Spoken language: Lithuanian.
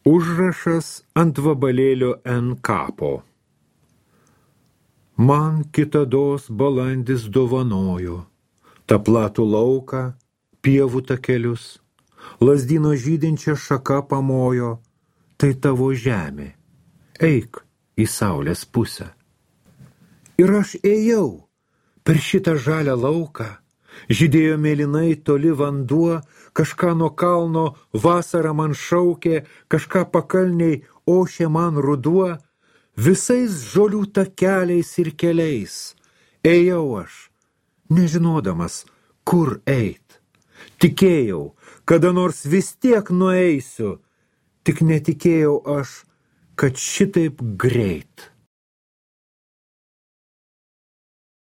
Užrašas ant vabalėlio N kapo. Man kitados balandis dovanojo tą platų lauką, pievų takelius, lazdyno žydinčią šaką pamojo, tai tavo žemė, eik į saulės pusę. Ir aš ėjau per šitą žalią lauką, žydėjo mėlynai toli vanduo, kažką nuo kalno vasarą man šaukė, kažką pakalniai ošė man ruduo, visais žolių takeliais ir keliais ėjau aš, nežinodamas, kur eit. Tikėjau, kada nors vis tiek nueisiu, tik netikėjau aš, kad šitaip greit.